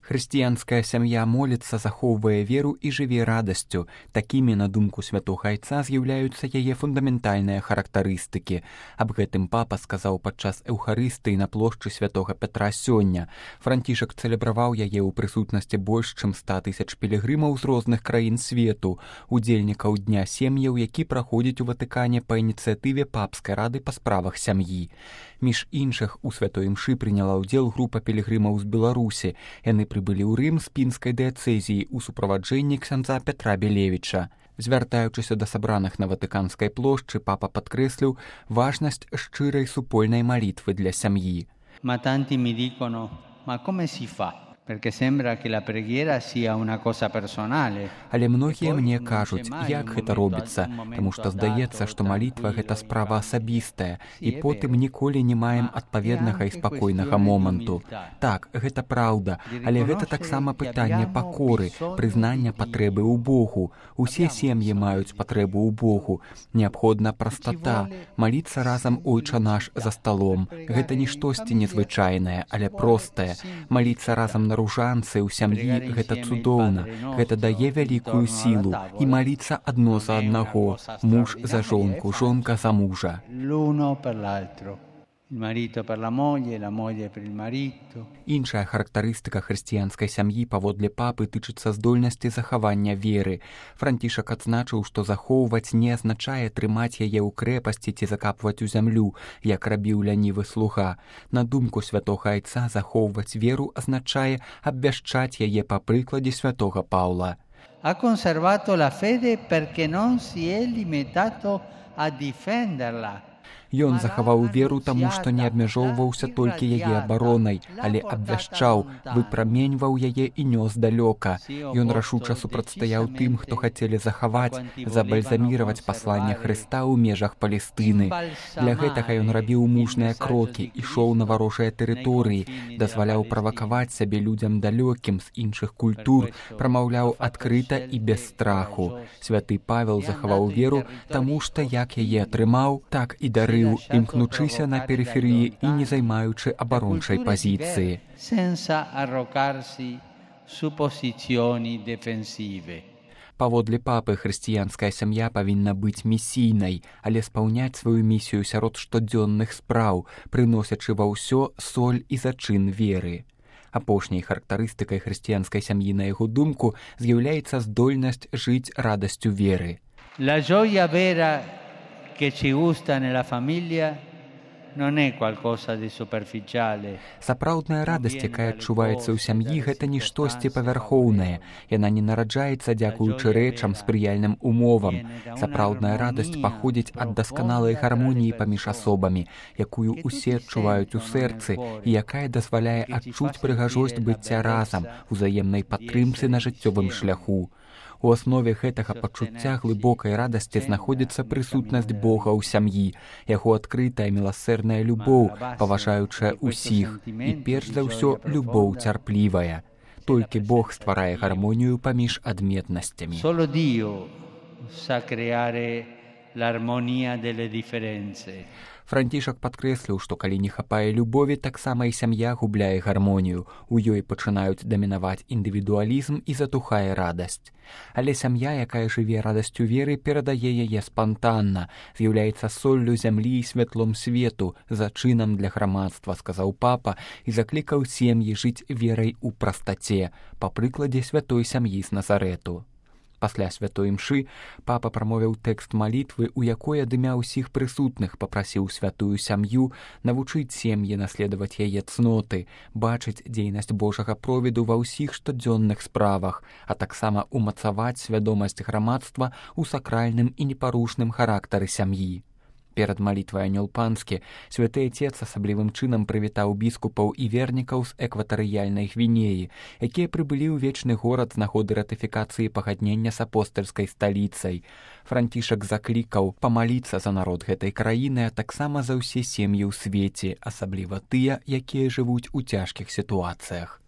Хрысціянская сям'я моліцца, захоўвае веру і жыве радасцю. Такімі, на думку святога айца, з'яўляюцца яе фундаментальныя характарыстыкі. Аб гэтым папа сказаў падчас эўхарыстыі на плошчы святога Пятра сёння. Францішак цэлебраваў яе ў прысутнасці больш чым 100 000 пілігрымаў з розных краін свету, удзельнікаў Дня сем'яў, які праходзіць у Ватыкане па ініцыятыве папскай рады па справах сям'і. Між іншых, у святой імшы прыняла ўдзел група пілігрымаў з Беларусі. Яны прыбылі ў Рым з пінскай дыяцэзіі ў суправаджэнні ксяндза Пятра Белевіча. Звяртаючыся да сабраных на Ватыканскай плошчы, папа падкрэсліў важнасць шчырай супольнай малітвы для сям'і. Ma tanti mi dicono, ma come si fa? Perché sembra che la preghiera sia una cosa personale. Але многія мне кажуць, як гэта робіцца, таму што здаецца, што малітва гэта справа асабістая, і потым ніколі не маем адпаведнага і спакойнага моманту. Так, гэта праўда, але гэта таксама пытанне пакоры, прызнання патрэбы ў Богу. Усе сем'і маюць патрэбу ў Богу. Неабходна прастата, маліцца разам Ойча наш за сталом. Гэта не штосьці незвычайнае, але простае. Маліцца разам на ружанцы ў сям'і гэта цудоўна, гэта дае вялікую сілу, і маліцца адно за аднаго, муж за жонку, жонка за мужа. Іншая характарыстыка хрысціянскай сям'і паводле папы тычыцца здольнасці захавання веры. Францішак адзначыў, што захоўваць не азначае трымаць яе ў крэпасці ці закапваць у зямлю, як рабіў лянівы слуга. На думку святога айца, захоўваць веру азначае абвяшчаць яе па прыкладзе святога Паўла. Ha conservato la fede perché non si è limitato a difenderla. Ён захаваў веру таму, што не абмяжоўваўся толькі яе абаронай, але абвяшчаў, выпраменьваў яе і нёс далёка. Ён рашуча супрацьстаяў тым, хто хацелі захаваць, забальзаміраваць пасланне Хрыста ў межах Палестыны. Для гэтага ён рабіў мужныя крокі, ішоў на варожыя тэрыторыі, дазваляў правакаваць сябе людзям далёкім з іншых культур, прамаўляў адкрыта і без страху. Святы Павел захаваў веру, таму што як яе атрымаў, так і дарыў, імкнучыся на перыферыі і не займаючы абарончай пазіцыі. Паводле папы, хрысціянская сям'я павінна быць місійнай, але спаўняць сваю місію сярод штодзённых спраў, прыносячы ва ўсё соль і зачын веры. Апошняй характарыстыкай хрысціянскай сям'і, на яго думку, з'яўляецца здольнасць жыць радасцю веры. La gioia vera che ci gusta nella famiglia non è qualcosa di superficiale. Сапраўдная радасць, якая адчуваецца ў сям'і, гэта не штосьці павярхоўнае. Яна не нараджаецца дзякуючы рэчам, спрыяльным умовам. Сапраўдная радасць паходзіць ад дасканалай гармоніі паміж асобамі, якую ўсе адчуваюць у сэрцы і якая дазваляе адчуць прыгажосць быцця разам, узаемнай падтрымцы на жыццёвым шляху. У аснове гэтага пачуцця глыбокай радасці знаходзіцца прысутнасць Бога ў сям'і, яго адкрытая міласэрная любоў, паважаючая ўсіх, і перш за ўсё любоў цярплівая. Толькі Бог стварае гармонію паміж адметнасцямі. Solo Dio sa creare l'armonia delle differenze. Францішак падкрэсліў, што калі не хапае любові, таксама і сям'я губляе гармонію. У ёй пачынаюць дамінаваць індывідуалізм і затухае радасць. Але сям'я, якая жыве радасцю веры, перадае яе спантанна, з'яўляецца соллю зямлі і святлом свету, зачынам для грамадства, сказаў папа, і заклікаў сем'і жыць верай у прастаце, па прыкладзе святой сям'і з Назарэту. Пасля святой імшы папа прамовіў тэкст малітвы, у якой ад імя ўсіх прысутных папрасіў святую сям'ю навучыць сем'і наследаваць яе цноты, бачыць дзейнасць Божага провіду ва ўсіх штодзённых справах, а таксама умацаваць свядомасць грамадства ў сакральным і непарушным характары сям'і. Перад малітвай анёл панскі святы айцец асаблівым чынам прывітаў біскупаў і вернікаў з экватарыяльнай Гвінеі, якія прыбылі ў вечны горад з нагоды ратыфікацыі пагаднення з апостальскай сталіцай. Францішак заклікаў памаліцца за народ гэтай краіны, а таксама за ўсе сем'і ў свеце, асабліва тыя, якія жывуць у цяжкіх сітуацыях.